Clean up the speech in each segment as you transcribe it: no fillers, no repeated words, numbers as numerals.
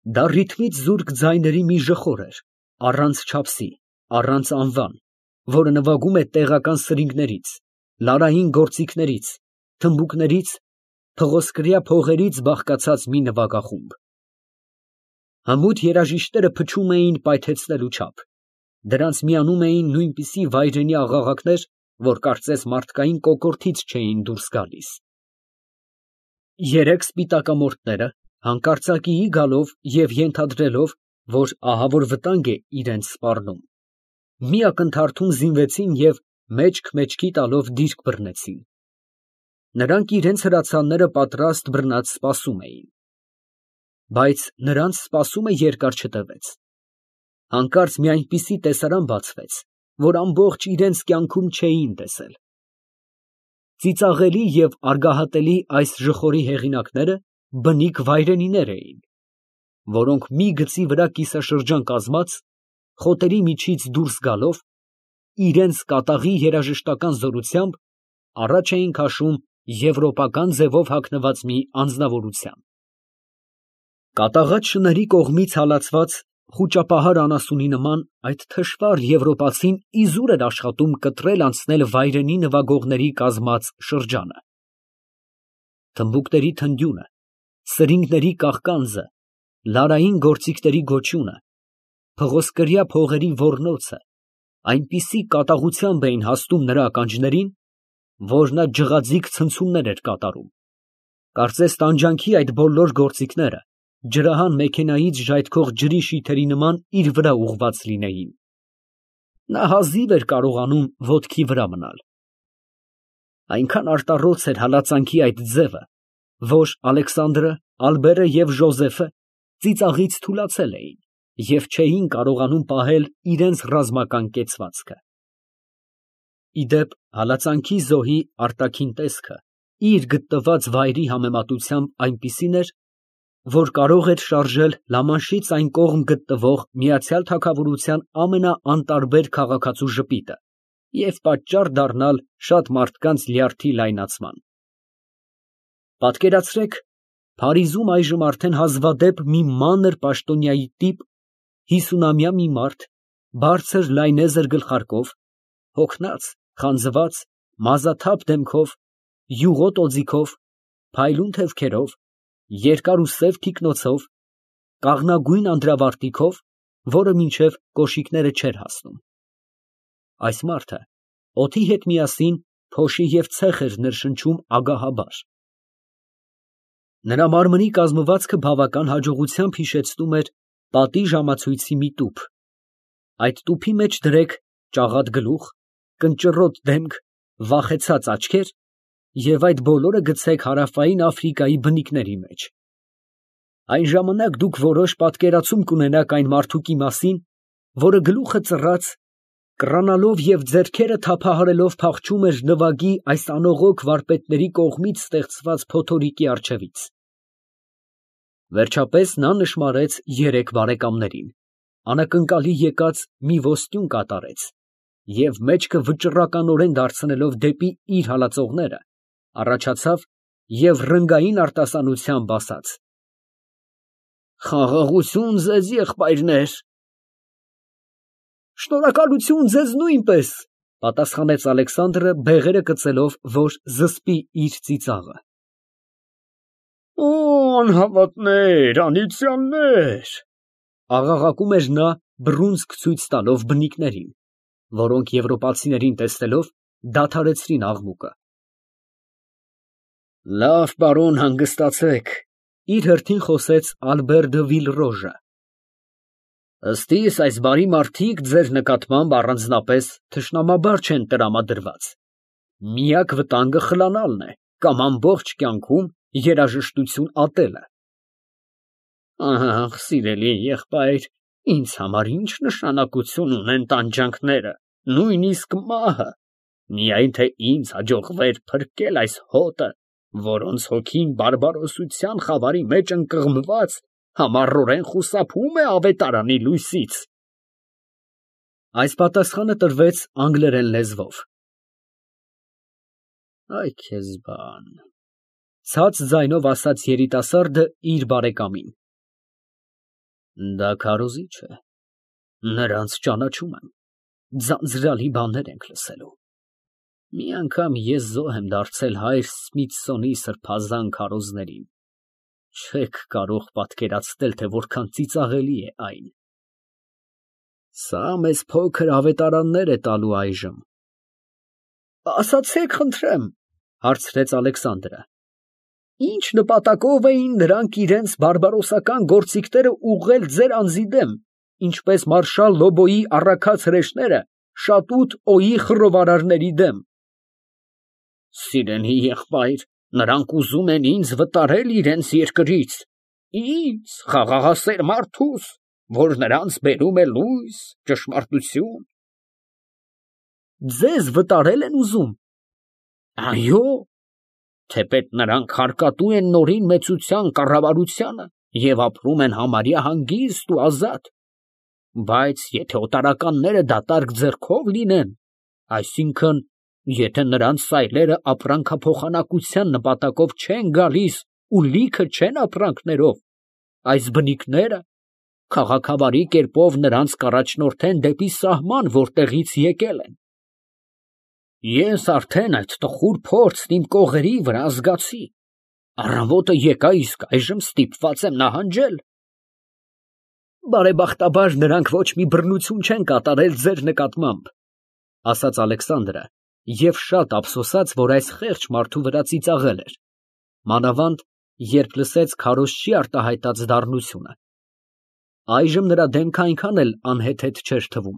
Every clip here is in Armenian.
Դա ռիթմից զուրկ ձայների մի ժխոր էր, առանց չափսի, առանց անվան, որը նվագում է տեղական սրինգներից, լարային գործիքներից, թմբուկներից, փղոսկրյա փողերից բաղկացած մի նվագախումբ։ Հմուտ երաժիշտները փչում էին պայթեցնելու չափ, դրանց միանում էին նույնպիսի վայրենի աղաղակներ, որ կարծես մարդկային կոկորդից չէին դուրս գալիս։ Երեք սպիտակամորթները հանկարծակիի գալով և ենթադրելով, որ ահավոր վտանգ է իրենց սպառնում, մի ակնթարթում զինվեցին և մեջք մեջքի տալով դիրք բռնեցին։ Նրանք իրենց հրացանները պատրաստ բռնած սպասում էին։ Բայց նրանց սպասումը երկար չտևեց։ Հանկարծ մի այնպիսի տեսարան բացվեց, որ ամբողջ իրենց կյանքում չէին տեսել։ Ծիծաղելի և արգահատելի այս ժխորի հեղինակները բնիկ վայրենիներ էին, որոնք մի գծի վրա կիսաշրջան կազմած, խոտերի միջից դուրս գալով, իրենց կատաղի երաժշտական զորությամբ առաջ էին քաշում եվրոպական ձևով հագնված մի անձնավորության։ Կատաղած շների կողմից հալածված խուճապահար անասունի նման այդ թշվառ եվրոպացին իզուր էր աշխատում կտրել անցնել վայրենի նվագողների կազմած շրջանը։ Թմբուկների թնդյունը, սրինգների կաղկանձը, լարային գործիքների գոչյունը, փղոսկրյա փողերի ոռնոցը այնպիսի կատաղությամբ էին հասնում նրա ականջներին, որ նա ջղաձիգ ցնցումներ էր կատարում, կարծես տանջանքի այդ բոլոր գործիքները ջրահան մեքենայից ժայթքող ջրի շիթերի նման իր վրա ուղղված լինեին։ Նա հազիվ էր կարողանում ոտքի վրա մնալ։ Այնքան արտառոց էր հալածանքի այդ ձևը, որ Ալեքսանդրը, Ալբերը և Ժոզեֆը ծիծաղից թուլացել էին և չէին կարողանում պահել իրենց ռազմական կեցվածքը։ Ի դեպ, հալածանքի զոհի արտաքին տեսքը իր գտնված վայրի համեմատությամբ այնպիսին էր, որ կարող էր շարժել Լամանշից այն կողմ գտնվող Միացյալ Թագավորության ամենաանտարբեր քաղաքացու ժպիտը և պատճառ դառնալ շատ մարդկանց լյարդի լայնացման։ Պատկերացրեք Փարիզում այժմ արդեն հազվադեպ մի մանր պաշտոնյայի տիպ, 50-ամյա մի մարդ, բարձր լայնեզր գլխարկով, հոգնած, խանձված, մազաթափ դեմքով, յուղոտ օձիքով, փայլուն թևքերով, երկար ու սև թիկնոցով, կաղնագույն անդրավարտիքով, որը մինչև կոշիկները չէր հասնում։ Այս մարդը օդի հետ միասին փոշի և ցեխ էր ներշնչում ագահաբար։ Նրա մարմնի կազմվածքը բավական հաջողությամբ հիշեցնում էր պատի ժամացույցի մի տուփ։ Այդ տուփի մեջ դրեք ճաղատ գլուխ, կնճռոտ դեմք, վախեցած աչքեր և այդ բոլորը գցեք հարավային Աֆրիկայի բնիկների մեջ։ Այն ժամանակ դուք որոշ պատկերացում կունենաք այն մարդուկի մասին, որը գլուխը ծռած, կռանալով և ձեռքերը թափահարելով փախչում էր նվագի այս անողոք վարպետների կողմից ստեղծված փոթորիկի առջևից։ Վերջապես նա նշմարեց երեք բարեկամներին, անակնկալի եկած մի ոստյուն կատարեց և մեջքը վճռականորեն դարձնելով դեպի իր հալածողները, առաջացավ և ռնգային արտասանությամբ ասաց. «Խաղաղություն ձեզ, եղբայրներ»։ «Շնորհակալություն ձեզ նույնպես», ֊ պատասխանեց Ալեքսանդրը, բեղերը կծելով, որ զսպի իր ծիծաղը։ «Օ, անհավատներ, անիծյալներ», ֊ աղաղակում էր նա, բռունցք ցույց տալով բնիկներին, որոնք եվրոպացիներին տեսնելով դադարեցրին աղմուկը։ «Լավ, պարոն, հանգստացեք», ֊ իր հերթին խոսեց Ալբեր դը Վիլռոժը։ «Ըստ իս, այս բարի մարդիկ ձեր նկատմամբ առանձնապես թշնամաբար չեն տրամադրված. միակ վտանգը խլանալն է կամ ամբողջ կյանքում երաժշտություն ատելը»։ «Ահ, սիրելի եղբայր, ինձ համար ինչ նշանակություն ունեն տանջանքները, նույնիսկ մահը, միայն թե ինձ հաջողվեր փրկել այս հոտը, որոնց հոգին բարբարոսության խավարի մեջ ընկղմված համառորեն խուսափում է ավետարանի լույսից»։ Այս պատասխանը տրվեց անգլերեն լեզվով։ «Այ քեզ բան», ֊ ցած ձայնով ասաց երիտասարդը իր բարեկամին։ Դա քարոզիչ է, նրանց ճանաչում եմ, ձանձրալի բաներ ենք լսելու։ Մի անգամ ես զոհ եմ դարձել հայր Սմիթսոնի սրբազան քարոզներին, չեք կարող պատկերացնել, թե որքան ծիծաղելի է այն։ Սա մեզ փոքր ավետարաններ է տալու այժմ։ Ասացեք, խնդրեմ, հարցրեց Ալեքսանդրը, ինչ նպատակով էին նրանք իրենց բարբարոսական գործիքները ուղղել ձեր անձի դեմ, ինչպես մարշալ Լոբոյի առաքած հրեշները Շատուտ Օի խռովարարների դեմ։ Սիրելի եղբայր, նրանք ուզում են ինձ վտարել իրենց երկրից, ինձ, խաղաղասեր մարդուս, որ նրանց բերում է լույս, ճշմարտություն։ Ձեզ վտարել են ուզում։ Այո, թեպետ նրանք հարկատու են նորին մեծության կառավարությանը և ապրում են համարյա հանգիստ ու ազատ։ Բայց եթե օտարականները դատարկ ձեռքով լինեն, այսինքն, եթե նրանց սայլերը ապրանքափոխանակության նպատակով չեն գալիս ու լիքը չեն ապրանքներով, այս բնիկները քաղաքավարի կերպով նրանց կառաջնորդեն դեպի սահման, որտեղից եկել են։ Ես արդեն այդ տխուր փորձն իմ կողերի վրա զգացի։ Առավոտը եկա, իսկ այժմ ստիպված եմ նահանջել։ Բարեբախտաբար նրանք ոչ մի բռնություն չեն կատարել ձեր նկատմամբ, ասաց Ալեքսանդրը, և շատ ափսոսաց, որ այս խեղճ մարդու վրա ծիծաղել էր, մանավանդ երբ լսեց քարոզչի արտահայտած դառնությունը։ Այժմ նրա դեմքը այնքան էլ անհեթեթ չէր թվում։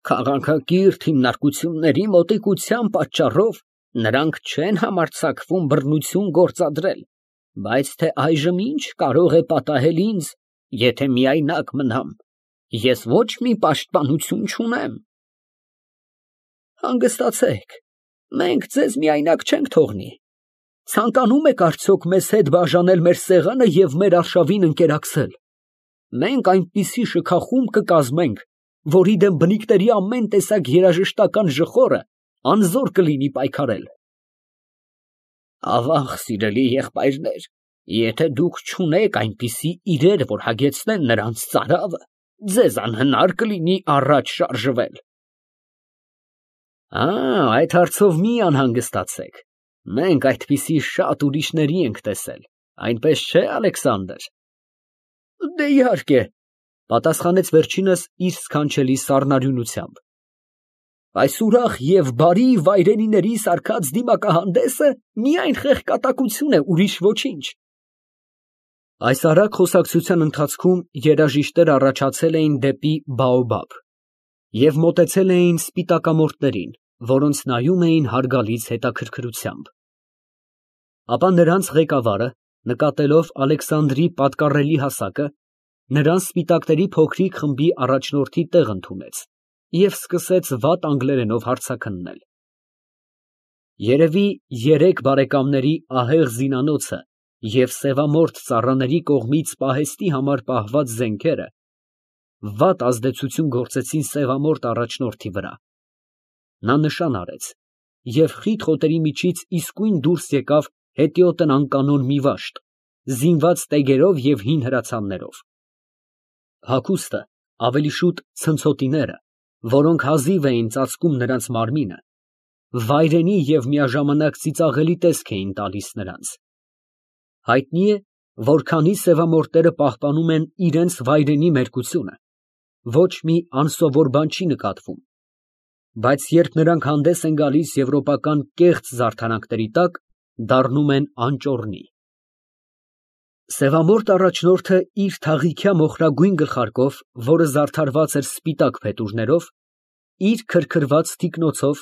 Քաղաքակիրթ հիմնարկությունների մոտիկության պատճառով նրանք չեն համարձակվում բռնություն գործադրել, բայց թե այժմ ինչ կարող է պատահել ինձ, եթե միայնակ մնամ, ես ոչ մի պաշտպանություն չունեմ։ Հանգստացեք, մենք ձեզ միայնակ չենք թողնի։ Ցանկանում եք արդյոք մեզ հետ բաժանել մեր սեղանը և մեր արշավին ընկերակցել։ Մենք այնպիսի շքախումբ կկազմենք, որի դեմ բնիկների ամեն տեսակ երաժշտական ժխորը անզոր կլինի պայքարել։ Ավաղ, սիրելի եղբայրներ, եթե դուք չունեք այնպիսի իրեր, որ հագեցնեն նրանց ծարավը, ձեզ անհնար կլինի առաջ շարժվել։ Այդ հարցով մի անհանգստացեք, մենք այդպիսի շատ ուրիշների ենք տեսել, այնպես չէ, Ալեքսանդր։ Դե իհարկե, պատասխանեց վերջինս իր սքանչելի սառնարյունությամբ։ Այս ուրախ և բարի վայրենիների սարքած դիմակահանդեսը միայն խեղկատակություն է, ուրիշ ոչինչ։ Այս արագ խոսակցության ընթացքում երաժիշտները առաջացել էին դեպի Բաոբաբ և մոտեցել էին սպիտակամորթներին, որոնց նայում էին հարգալից հետաքրքրությամբ։ Ապա նրանց ղեկավարը, նկատելով Ալեքսանդրի պատկառելի հասակը, նրան սպիտակների փոքրիկ խմբի առաջնորդի տեղ ընդունեց և սկսեց վատ անգլերենով հարցաքննել։ Երևի երեք բարեկամների ահեղ զինանոցը և սևամորթ ծառաների կողմից պահեստի համար պահված զենքերը վատ ազդեցություն գործեցին սևամորթ առաջնորդի վրա։ Նա նշան արեց, և խիտ խոտերի միջից իսկույն դուրս եկավ հետիոտն անկանոն մի վաշտ, զինված տեգերով և հին հրացաններով։ Հագուստը, ավելի շուտ ցնցոտիները, որոնք հազիվ էին ծածկում նրանց մարմինը, վայրենի և միաժամանակ ծիծաղելի տեսք էին տալիս նրանց։ Հայտնի է, որ քանի սևամորթները պահպանում են իրենց վայրենի մերկությունը, ոչ մի անսովոր բան չի նկատվում, բայց երբ նրանք հանդես են գալիս եվրոպական կեղծ զարդարանքների տակ, դառնում են անճոռնի։ Սևամորթ առաջնորդը իր թաղիքյա մոխրագույն գլխարկով, որը զարդարված էր սպիտակ փետուրներով, իր քրքրված թիկնոցով,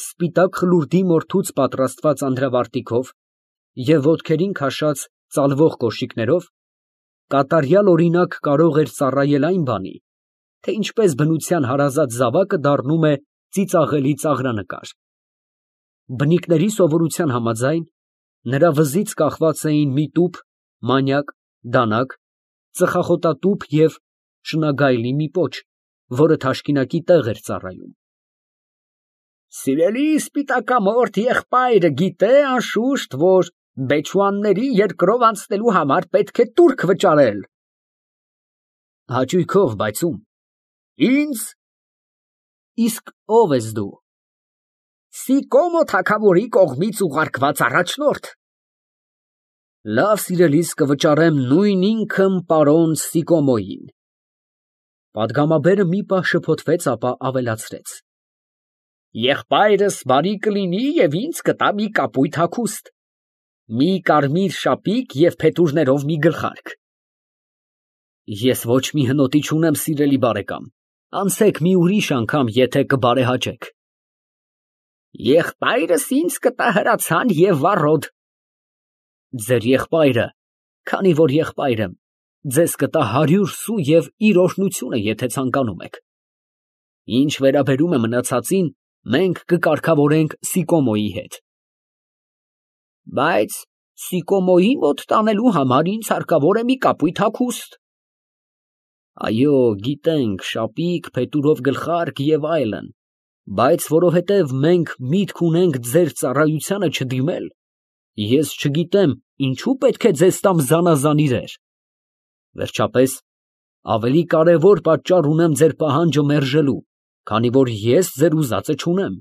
սպիտակ խլուրդի մորթուց պատրաստված անդրավարտիքով և ոտքերին քաշած ծալվող կոշիկներով, կատարյալ օրինակ կարող էր ծառայել այն բանի, թե ինչպես բնության հարազատ զավակը դառնում է ծիծաղելի ծաղրանկար։ Բնիկների սովորության համաձայն, նրա վզից կախված էին մի տուփ, մանյակ, դանակ, ծխախոտատուփ և շնագայլի մի պոչ, որը թաշկինակի տեղ էր ծառայում։ Սիրելի սպիտակամորթ եղբայրը գիտե անշուշտ, որ բեչուանների երկրով անցնելու համար պետք է տուրք վճարել, Հաճույքով, բայց ում։ Ինձ։ Իսկ ով ես դու։ Սիկոմո թագավորի կողմից ուղարկված առաջնորդ։ Լավ սիրելիս, կվճարեմ նույն ինքն պարոն Սիկոմոյին։ Պատգամաբերը մի պահ շփոթվեց, ապա ավելացրեց. Եղբայրս բարի կլինի և ինձ կտա մի կապույտ հագուստ, մի կարմիր շապիկ և փետուրներով մի գլխարկ։ Ես ոչ մի հնոտի չունեմ, սիրելի բարեկամ, անցեք մի ուրիշ անգամ, եթե կբարեհաճեք։ Եղբայրս ինձ կտա հրացան և վառոդ։ Ձեր եղբայրը, քանի որ եղբայր եմ, ձեզ կտա 100 սու և իր օրհնությունը, եթե ցանկանում եք։ Ինչ վերաբերում է մնացածին, մենք կկարգավորենք Սիկոմոյի հետ։ Բայց Սիկոմոյի մոտ տանելու համար ինձ հարկավոր է մի կապույտ հագուստ։ Այո, գիտենք, շապիկ, փետուրով գլխարկ և այլն, բայց որովհետև մենք միտք ունենք ձեր ծառայությանը չդիմել, ես չգիտեմ, ինչու պետք է ձեզ տամ զանազան իրեր։ Վերջապես, ավելի կարևոր պատճառ ունեմ ձեր պահանջը մերժելու, քանի որ ես ձեր ուզածը չունեմ։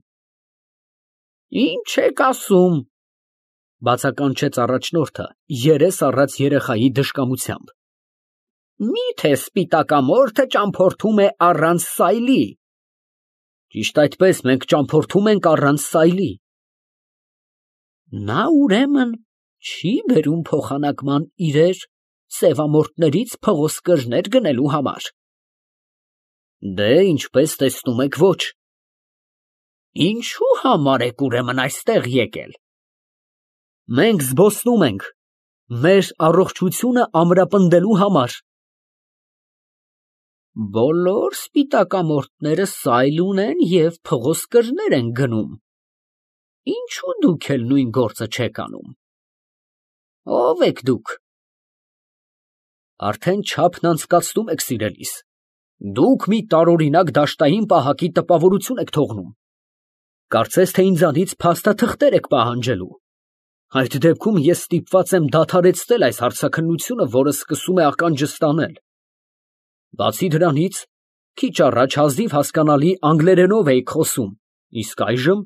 Ինչ եք ասում, բացականչեց առաջնորդը, երես առած երեխայի դժկամությամբ։ Միթե սպիտակամորթը ճամփորդում է առանց սայլի։ Ճիշտ այդպես, մենք ճամփորդում ենք առանց սայլի։ Նա ուրեմն չի բերում փոխանակման իրեր սևամորթներից փղոսկրներ գնելու համար։ Դե, ինչպես տեսնում եք, ոչ։ Ինչու համար եք ուրեմն այստեղ եկել։ Մենք զբոսնում ենք, մեր առողջությունը ամրապնդելու համար։ Բոլոր սպիտակամորթները սայլ ունեն և փղոսկրներ են գնում։ Ինչու դուք էլ նույն գործը չեք անում։ Ո՞վ եք դուք։ Արդեն չափն անցկացնում եք, սիրելիս։ Դուք մի տարօրինակ դաշտային պահակի տպավորություն եք թողնում։ Կարծես թե ինձանից փաստաթղթեր եք պահանջելու։ Այդ դեպքում ես ստիպված եմ դադարեցնել այս հարցաքննությունը, որը սկսում է ականջս տանել։ Բացի դրանից, քիչ առաջ հազիվ հասկանալի անգլերենով էիք խոսում, իսկ այժմ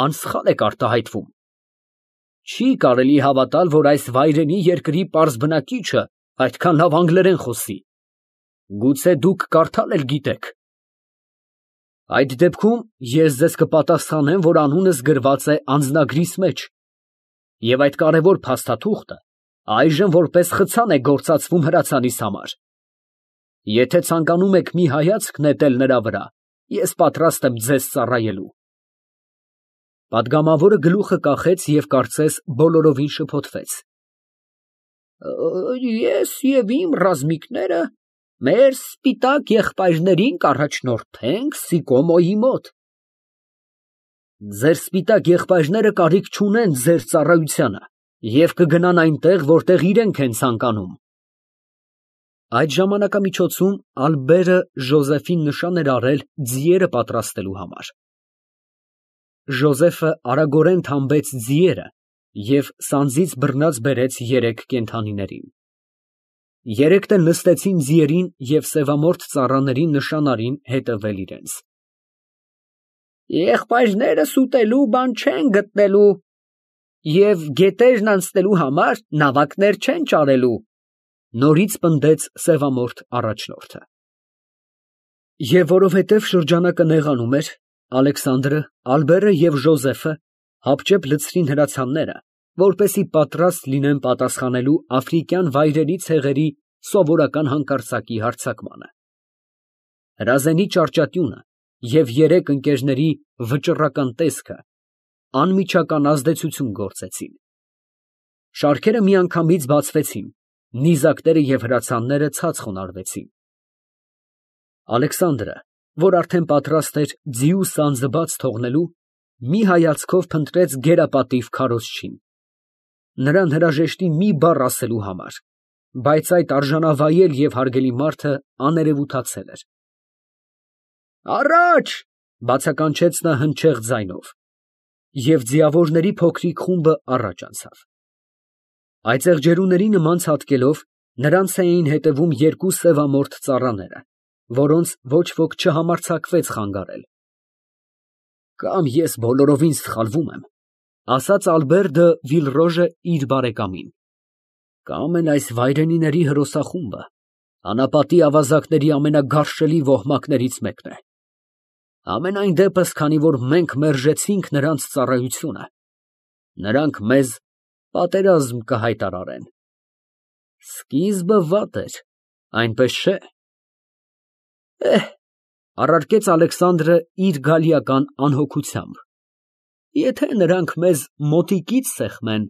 անսխալ եք արտահայտվում։ Չի կարելի հավատալ, որ այս վայրենի երկրի պարզ բնակիչը այդքան լավ անգլերեն խոսի։ Գուցե դուք կարդալ էլ գիտեք։ Այդ դեպքում ես ձեզ կպատասխանեմ, որ անունս գրված է անձնագրիս մեջ, և այդ կարևոր փաստաթուղթը այժմ որպես խցան է գործածվում հրացանիս համար։ Եթե ցանկանում եք մի հայացք նետել նրա վրա, ես պատրաստ եմ ձեզ ծառայելու։ Պատգամավորը գլուխը կախեց և կարծես բոլորովին շփոթվեց։ Ես և իմ ռազմիկները մեր սպիտակ եղբայրներին կառաջնորդենք Սիկոմոյի մոտ։ Ձեր սպիտակ եղբայրները կարիք չունեն ձեր ծառայությանը և կգնան այնտեղ, որտեղ իրենք են ցանկանում։ Այդ ժամանակամիջոցում Ալբերը Ժոզեֆին նշան էր արել ձիերը պատրաստելու համար։ Ժոզեֆը արագորեն թամբեց ձիերը և սանձից բռնած բերեց 3 կենդանիներին։ Երեքն էլ նստեցին ձիերին և սևամորթ ծառաներին նշան արին հետևել իրենց։ Եղբայրներս ուտելու բան չեն գտնելու և գետերն անցնելու համար նավակներ չեն ճարելու, նորից պնդեց սևամորթ առաջնորդը։ Եվ որովհետև շրջանակը նեղանում էր, Ալեքսանդրը, Ալբերը և Ժոզեֆը հապճեպ լցրին հրացանները, որպեսզի պատրաստ լինեն պատասխանելու աֆրիկյան վայրերի ցեղերի սովորական հանկարծակի հարձակմանը։ Հրազենի ճարճատյունը և 3 ընկերների վճռական տեսքը անմիջական ազդեցություն գործեցին։ Շարքերը միանգամից բացվեցին, նիզակները և հրացանները ցած խոնարհվեցին։ Ալեքսանդրը, որ արդեն պատրաստ էր ձիու սանձը բաց թողնելու, մի հայացքով փնտրեց գերապատիվ քարոզչին, նրան հրաժեշտի մի բառ ասելու համար, բայց այդ արժանավայել և հարգելի մարդը աներևութացել էր։ Առաջ, բացականչեց նա հնչեղ ձայնով, և ձիավորների փոքրիկ խումբը առաջ անցավ։ Այծեղջերուների նման ցատկելով Նրանց էին հետևում երկու սևամորթ ծառաները, որոնց ոչ ոք չհամարձակվեց խանգարել։ Կամ ես բոլորովին սխալվում եմ, ասաց Ալբերտը Վիլռոժը իր բարեկամին, կամ էլ այս վայրենիների հրոսախումբը անապատի ավազակների ամենագարշելի ոհմակներից մեկն է։ Համենայն դեպս, քանի որ մենք մերժեցինք նրանց ծառայությունը, նրանք մեզ պատերազմ կհայտարարեն։ Սկիզբը վատ էր, այնպես չէ՞։ Առարկեց Ալեքսանդրը իր գալիական անհոգությամբ։ Եթե նրանք մեզ մոտիկից սեղմեն,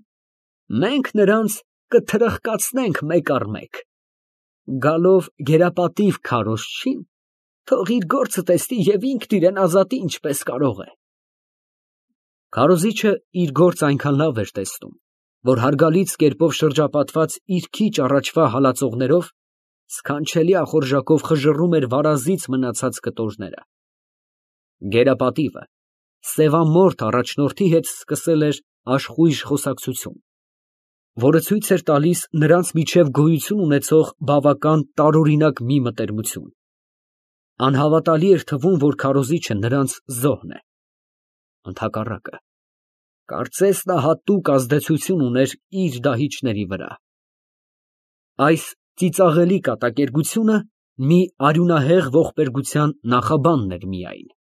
մենք նրանց կթրխկացնենք մեկ առ մեկ։ Գալով գերապատիվ քարոզչին, թող իր գործը տեսնի և ինքն իրան ազատի ինչպես կարող է։ Քարոզիչը իր գործը այնքան լավ էր տեսնում, որ հարգալից կերպով շրջապատված իր քիչ առաջվա հալածողներով սքանչելի ախորժակով խժռում էր վարազից մնացած կտորները։ Գերապատիվը սևամորթ առաջնորդի հետ սկսել էր աշխույժ խոսակցություն, որը ցույց էր տալիս նրանց միջև գոյություն ունեցող բավական տարօրինակ մի մտերմություն։ Անհավատալի էր թվում, որ քարոզիչը նրանց զոհն է։ Ընդհակառակը, կարծես նա հատուկ ազդեցություն ուներ իր դահիճների վրա։ Այս ծիծաղելի կատակերգությունը մի արյունահեղ ողբերգության նախաբանն էր միայն։